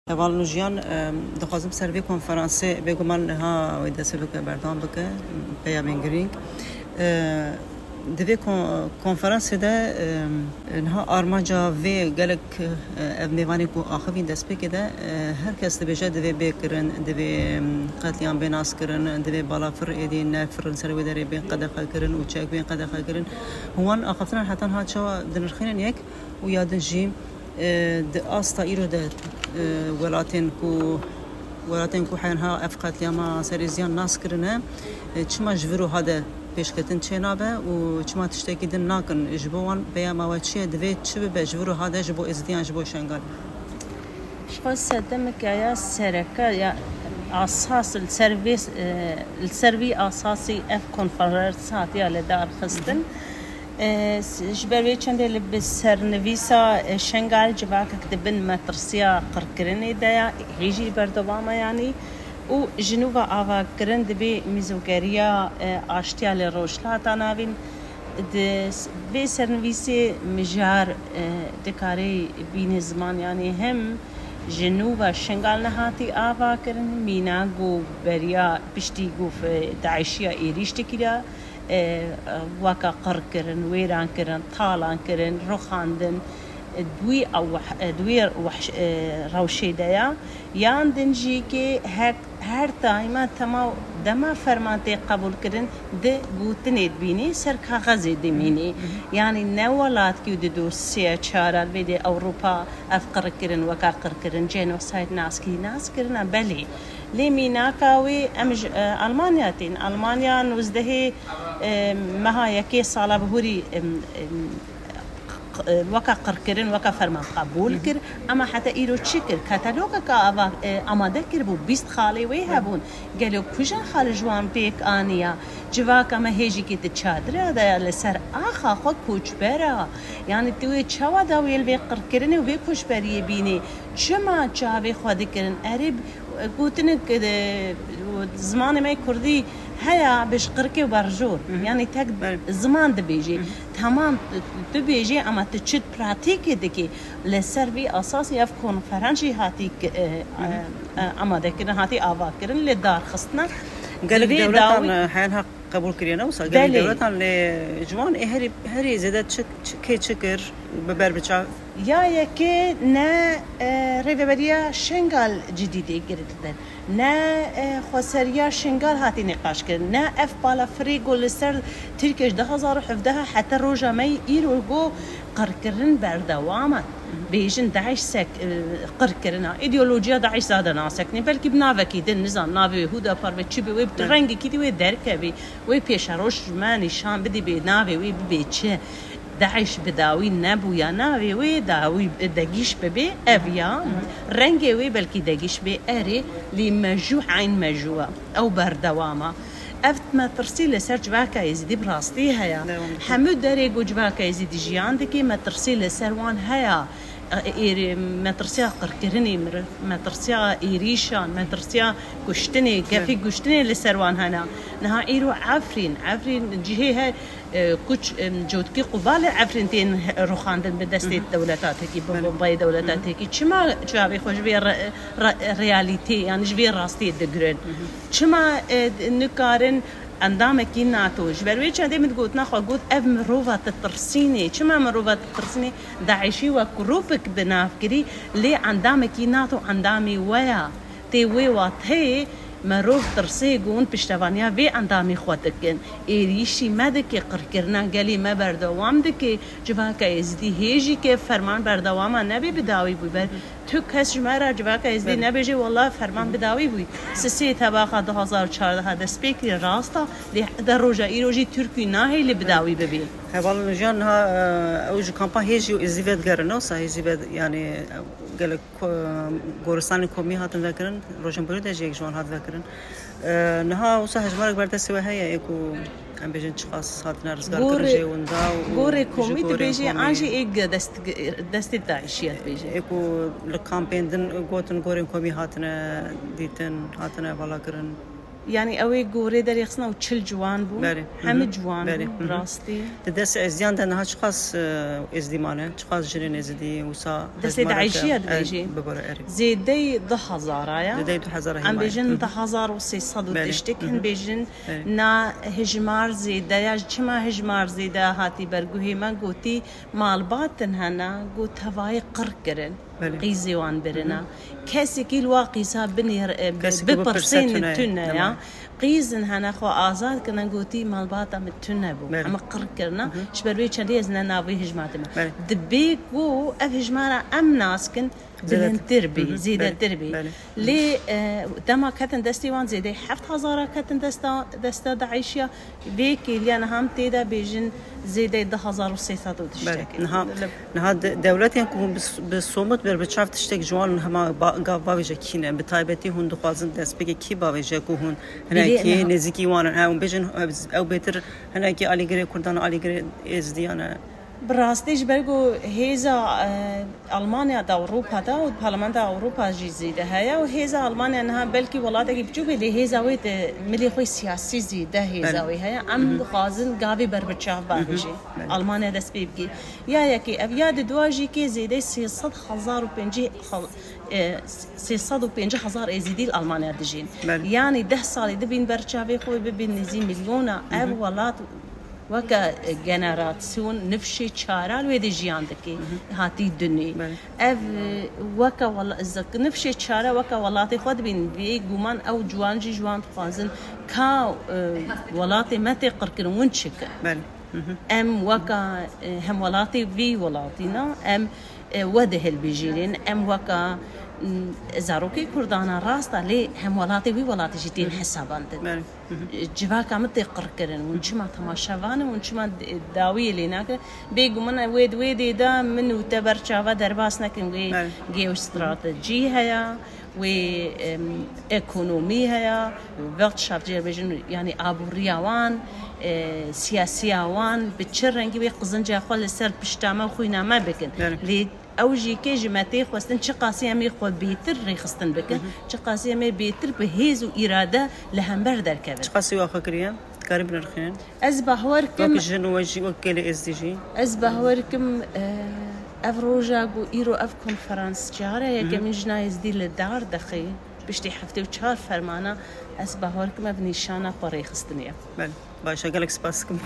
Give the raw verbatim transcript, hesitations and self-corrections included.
Heval Nûjiyan, e, dixwazim ser vê konferansê bêguman niha wê dest pê bike, berdewam bike, peyamên girîng. E, di vê kon-, konferansê de, e, niha armanca vê gelek, e, ev mêvanê ku axivîn destpêkê de, e, her kes dibêje divê bê kirin, divê, em, qetlîam bê naskirin, divê balafir êdî nefirin ser wê derê bên qedexe kirin û çek bên qedexe kirin. Hûn wan axaftinan heta niha çawa dinirxînin yek û ya din jî, e, di asta îro de, e, welatên ku, welatên ku heyên ha ev qetlîama serê ziyan nas kirine, e, çima ji vir û ha de pêşketin çênabe û çima tiştekî din nakin? Ji bo wan peyama we çi ye? Divê çi bibe ji vir û ha de ji bo Êzidiyan, ji bo Şengal? Ji xwe sedemeke ya sereke ya asas li ser vê, e, li ser vî asasî ev konferans hatiye li dar xistin. E, s-, ji ber wê çendê li bi sernivîsa, e, Şengal civakek di bin metirsiya qirkirinê de ya, hê jî berdewam e yanî, û ji nû ve avakirin dibê mîzogeriya, e, aştiya li Rojhilata Navîn. Di s-, vê sernivîsê mijar, e, dikarê bîne ziman, yanî hem ji nû ve Şengal nehatî avakirin, mîna ku beriya piştî ku fe-, DAIŞiya êrîş dikira, e, weke qirkirin, wêrankirin, talankirin, rixandin, e, di wî ew weh-, e, di wî wehş-, e, rewşê de ya. Yan din jî kê hek, her daîma tema dema ferman tê qebûlkirin, di gotinê dibînî, ser kaxezê dimînî. Yanî ne welatkî di dosyeya çara li vê dê Ewropa ev qirkirin, weka qirkirin, genocide naskî, naskirina belê. Lê mînaka wê em ji, e, Almanya tên. Almanya nozdehê, e, meha yekê sala bihurî, em, em, q-, q-, weka qirkirin, weka ferman qebûl kir. Ema heta îro çi kir? Katalogeka ava, e, amade kiribû, bîst xalê wê hebûn. Gelo kujin xal ji wan pêk aniya? Civaka me hêjîkê di çadira de ya, li ser axa xwe koçber a. Yanî tu wê çawa dawiyê li vê qirkirinê û vê koçberiyê bînî? Çima çavê xwe dikirin? Erê, gotinek, e, zimanê me kurdî heya, bi ji qirkê û berjor. Yanî tek ziman dibêjê. Tamam, tu, tu bêjê, ama tu çi pratîkê dikî? Li ser vî asasî ev konferans jî hatî ki-, e, e, e, amadekirin, hatî avakirin, lê darxistina. Gelek dewletan, dawî, e, heyan haq qebûl kiriye, ne wisa? Gelek dewletan, lê ji wan ê herî, herî zêde çi, çi, kê çi kir, bi ber bi çav? Ya yekê ne, e, rêveberiya Şengal cidî tê girtin, ne, e, xweseriya Şengal hatî nîqaş kirin, ne ev balafirê ku li ser Tirkiye ji du hazar û hevdeh heta roja me îro ku qirkirin berdewam e. Bêjin DAIŞ sek, e, qirkirina. Îdeolojiya DAIŞ zade nasekine. Belkî bi navekî din, nizam, navê wê Hudapar be, çi be, wê bi rengekî dî wê derkevê. Wê pêşeroj ji me nîşan bidî, bê navê wê bibe çi. DAIŞ bi dawî nebûya, navê wê dawî degîş bibê, ev ya. Rengê wê belkî degîş bê, erê, lê mejû eyn mejû e. Ew berdewam e. Ev metirsî li ser civaka Êzidî bi rastî heye. Hemû derê ku civaka Êzidî jiyan dike, metirsî li ser wan heye. Ê-, êrê, metirsiya qirkirinê miriv, metirsiya êrîşan, metirsiya kuştinê, kefê kuştinê li ser wan hene. Niha îro Efrîn, Efrîn cihê he, e, kuç, em, cotkî qubalê Efrîn tên he-, rûxandin bi destê dewleta Tirkî, bi bombayê dewleta Tirkî. Çima çavê xwe ji vê re-, re-, realîtê, yanî ji vê rastiyê digirin? Çima, e, nikarin endamekî NATO? Ji ber wê çendê min gotina xwe got, ev mirova ditirsînê. Çima mirova ditirsînê? DAIŞî wek grûpek bi nav kirî, lê endamekî NATO endamê we ya. Tê wê wateyê merov tirsê ku hûn piştevaniya vê endamê xwe dikin. Êrîşî me dike, qirkirina gelê me berdewam dike. Civaka Êzidî hê jî ke ferman berdewam e, nebê bi dawî bû. Ber tu kes ji me re, civaka Êzidî, nebêje, wela ferman bi dawî bû. Sisê tebaxa du hazar û çardeh dest pê kiriye, rast e, lê heta roja îro jî Tirkî nahêle bi dawî bibê. Hevalên jiyan niha, e, ew ji kampa hê jî êzî vedigerin, wisa hêzî ve, yanî, e, gelek ko-, goristanên komî hatin vekirin, Rojên Borî de jî yek ji wan hat vekirin. E, niha wisa hejmarek ber destê we heye, ê ku em bêjin çiqas hatine rizgarkirin jê winda û gorê ji komî gorên dibêjê, komî an jî ê ge-, dest-, destê DAIŞiye dibêjê. Ê ku li kampên din gotin gorên komî hatine dîtin, hatine valakirin. Yani ew ê gorê derêxistina û çil ciwan bû. Belê. Hemî ciwan bû, Belê. Rastî. Di destê Êzidiyan de niha çiqas e, Êzidî mane, çiqas jinên Êzidî wisa Destê DAIŞiya dibêjî. Bibore erê. Zêdeyî du hezara ya. Zêdeyî du hezara Em hêmayî. bêjin du hezar û sê sed û Belê. tiştek, Hı hı. Hin bêjin Belê. na hijmar zêde ya. Çima hijmar zêde hatî ber guhê me? Gotî malbatin hene, got tevayê qir kirin. Belê. Qîzê wan birina. Kesekî li wa qîza binêr, e, bi- Kesekî bipirse bipirsên tune ye. Nema tune ye. ya. Qîzin hene xwe azad kirine, gotî malbata min tune bû. Belê. Em qir kirina. Ji ber wê çendê ez ne navê hijmar dime. Belê. Dibê ku ev hijmara em nas kin, Zêdetir. bilindtir bî, Hı hı. zêdetir bî. Belê. Lê e, dema ketin destê wan zêdeyî heft hezara ketin desta, desta DAIŞiya. Vê kêliya niha em tê de bêjin zêdeyî du hezar û sê sed û tiştekê. Belê. Niha, niha de- dewletên ku hûn bi, bi somut ber bi çav tiştek ji wan hema ba, gav bavêje kî ne? Bi taybetî hûn dixwazin destpêkê kî bavêje ku hûn hinekî Belê, niha- nêzîkî wan in? Ew bêjin ew, ew bêtir hinekî alîgirê Kurdan, alîgirê Êzidiyan e. Bi rastî ji ber ku hêza e, Almanya de, Ewropa de û Parlamentoya Ewropa jî zêde heye û hêza Almanya niha belkî welatekî biçûk be, lê hêza wê di milê xwe siyasî zêde hêza Belê. wê heye. Em dixwazin gavê berbiçav bavêjê. Belê. Almanya dest pê bikê. Ya yekê ev, ya di dua jî kê zêdeyî sê sed hezar û pêncî hal- e, sê sed û pêncî hezar Êzîdî li Almanya dijîn. Belê. Yanî deh salî dibîn berçavê xwe bibîn nêzî milyona. Ev welat weke, e, generasyon nifşê çara li wê de jiyan dike, hatî dunê. Belê. Ev, e, weke wela-, zik-, nifşê çara weke welatê xwe dibîn, bê guman ew ciwan jî ji wan dixwazin ka, e, welatê me tê qirkirin, hûn çi kin? Belê. Em weka, e, hemwelatê vî welatî ne, em, e, we dihilbijêrin, em weka, m, zarokê Kurdana rast e, lê hemwelatê wî welatî jî tên hesabandin. Belê. Civaka min tê qirkirin. Hûn çima temaşevan in? Hûn çima dawiyê lê nakin? Bêguman wê di wê dê de min û te berçava derbas nekin wê Belê. geostratejî heye, wê, em, ekonomî heye, wextşaf jê bêjin, yanî aboriya wan, e, siyasiya wan, bi çi rengî wê qizinca xwe li ser pişta me û xwîna me bikin. Belê. Lê ew jî kê ji me tê xwestin, çiqasî em ê xwe bêtir rêxistin bikin, çiqasî em ê bêtir bi hêz û îrade li hember derkevin. Çiqasî we xwe kiriye? Dikarî binirxînin? Ez bawer kim, Wek jin û we jî, wek gelê Êzdî jî. Ez bawer kim, e, ev roja ku îro ev konferans cara yekemîn jina Êzdî li dar dixê, piştî heftê û çar fermana, ez bawer kim ev nîşana xwe rêxistinê ye. Belê. Baş e, gelek spas dikim.